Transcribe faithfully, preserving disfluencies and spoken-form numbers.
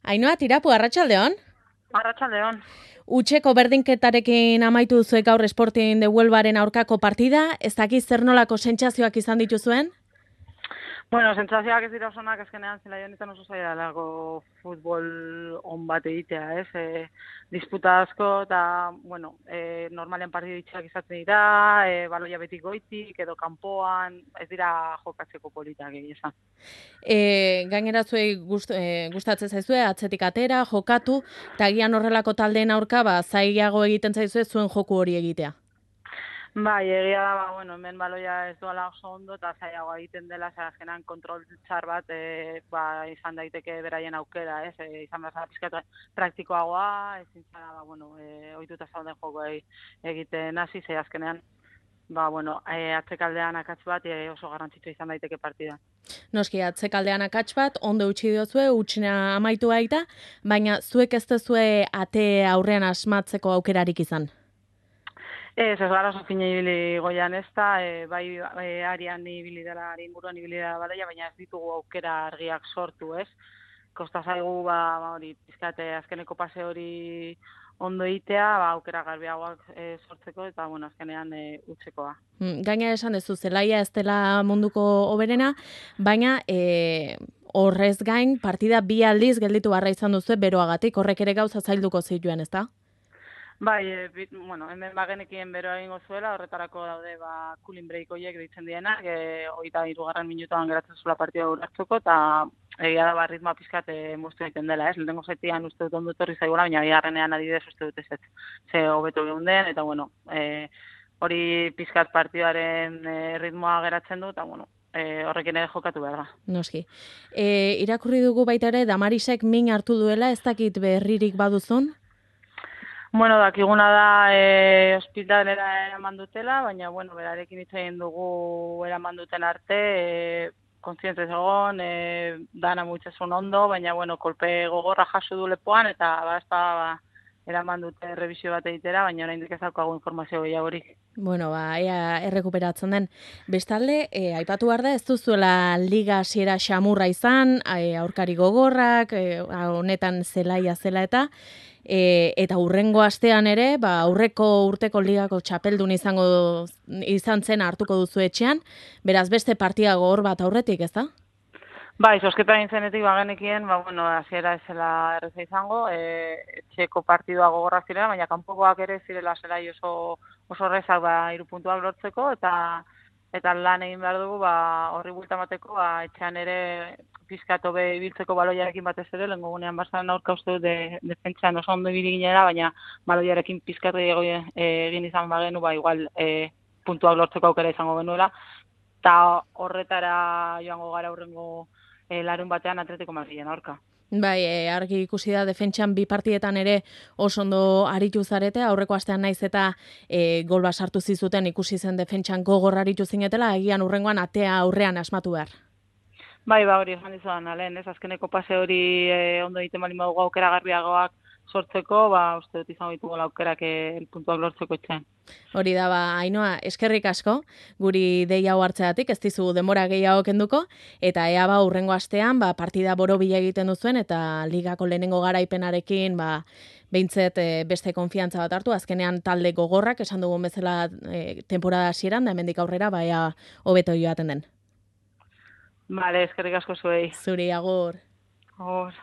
Ainhoa, Tirapu, arratsaldeon. Arratsaldeon. Utxeko berdinketarekin amaitu duzuek gaur Sporting de Huelvaren aurkako partida, ez dakiz zer nolako sentsazioak izan dituzuen? Bueno, sentsazioak ez dira osonak, azkenean zela honetan oso zaila dago futbol on bat egitea, ez? E, disputa asko eta, bueno, e, normalean partidu itxak izaten dira, e, baloia beti goitik edo kanpoan, ez dira jokatzeko politak egia esan. E, gainera zuei gust, e, gustatzen zaizue, atzetik atera, jokatu, eta agian horrelako taldeen aurka, ba, zailago egiten zaizue zuen joku hori egitea. Bai, egia da, ba, bueno, hemen baloia ez doala oso ondo eta zailagoa egiten dela, zer azkenan kontrol txar bat e, ba, izan daiteke beraien aukera, ez? E, izan behar zara pizkat praktikoagoa, ezin zara, ba, bueno, e, ohituta zauden joko egiten hasi, ze azkenean, ba, bueno, e, atzekaldean akats bat e, oso garrantzitsua izan daiteke partida. Noski, atzekaldean akats bat, ondo utzi diozue, utxina amaitu baita, baina zuek ez duzue ate aurrean asmatzeko aukerarik izan. Ez, ez gara oso fina ibili goian ez da, e, bai e, arian ibili dela, ari inguruan ibili dela balaia, baina ez ditugu aukera argiak sortu, ez? Kosta zaigu, ba, ba hori, pizkate azkeneko pase hori ondo egitea, ba, aukera garbiagoak e, sortzeko, eta, bueno, azkenean e, utzekoa. Gaina esan dezu, zelaia ez dela munduko hoberena, baina e, horrez gain partida bi aldiz gelditu barra izan duzu beroagatik, horrek ere gauza zailduko zituen, ez da? Bai, e, bit, bueno, hemen bagenekien beroa egingo zuela, horretarako daude ba cooling break horiek deitzen dienak, e, hogeita hirugarren minutuan geratzen zula partida urratzeko, eta egia da ba, ritmoa pizkat e, moztu egiten dela, ez? Lehenengo zatian uste dut ondo etorri zaigula, baina bigarrenean adibidez uste dut ez ez, ze hobeto geunden, eta bueno, e, hori pizkat partidaren e, ritmoa geratzen du, eta bueno, e, horrekin ere jokatu behar da. Noski. E, irakurri dugu baita ere, Damarisek min hartu duela, ez dakit berririk baduzun? Bueno, dakiguna da e, ospitalera eraman dutela, baina, bueno, berarekin hitz egin dugu eraman duten arte, e, kontzientez egon, e, dana mutxesun ondo, baina, bueno, kolpe gogorra jaso du lepoan, eta bazta, ba, eraman dute revisio bat egitera, baina oraindik ez daukagu informazio gehiagorik. Bueno, ba, ea errekuperatzen den. Bestalde, e, aipatu behar da, ez duzuela liga hasiera xamurra izan, e, aurkari gogorrak, e, honetan zelaia zela eta, E, eta hurrengo astean ere, ba, aurreko urteko ligako txapeldun izango izan zen hartuko duzu etxean, beraz beste partida gogor bat aurretik, ez da? Bai, sosketa intzenetik bagenekien, ba, bueno, hasiera ez zela erreza izango, e, etxeko partidua gogorrak zirela, baina kanpokoak ere zirela zelai oso, oso errezak ba, hiru puntuak lortzeko, eta eta lan egin behar dugu, ba, horri bulta bateko, ba, etxean ere pizkat hobe ibiltzeko baloiarekin batez ere, lehenko gunean barzaren aurka uste dut de, defentsan oso ondo ibili ginera, baina baloiarekin pizkat egin izan bagenu, ba, igual e, puntuak lortzeko aukera izango genuela, eta horretara joango gara aurrengo e, larun batean Atletico Madrilen aurka. Bai, e, argi ikusi da defentsan bi partietan ere oso ondo aritu zarete, aurreko astean naiz eta e, gol bat sartu zizuten ikusi zen defentsan gogor aritu zinetela, egian urrengoan atea aurrean asmatu behar. Bai, ba hori esan dizudan, alen, ez azkeneko pase hori e, ondo egiten bali madugu aukera garbiagoak sortzeko, ba uste dut izango ditugu aukerak el puntuak lortzeko etxean. Hori da, ba, Ainhoa, eskerrik asko, guri dei hau hartzeatik, ez dizu denbora gehiago kenduko, eta ea ba, urrengo astean, ba, partida borobila egiten duzuen, eta ligako lehenengo garaipenarekin, ba, behintzet e, beste konfiantza bat hartu, azkenean talde gogorrak, esan dugun bezala e, temporada hasieran, da hemendik aurrera, ba, ea hobeto joaten den. Vale, eskerrik asko zuei. Zuri, agur. Agur.